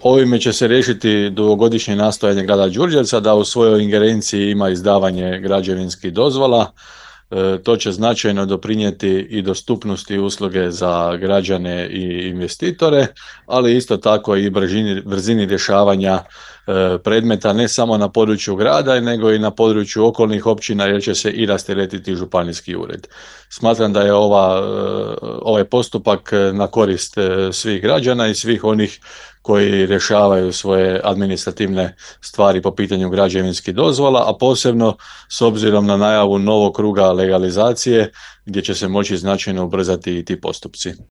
Ovime će se riješiti dugogodišnje nastojanje grada Đurđevca da u svojoj ingerenciji ima izdavanje građevinskih dozvola. To će značajno doprinijeti i dostupnosti usluge za građane i investitore, ali isto tako i brzini rješavanja predmeta ne samo na području grada, nego i na području okolnih općina jer će se i rasteretiti županijski ured. Smatram da je ovaj postupak na korist svih građana i svih onih koji rješavaju svoje administrativne stvari po pitanju građevinskih dozvola, a posebno s obzirom na najavu novog kruga legalizacije gdje će se moći značajno ubrzati i ti postupci.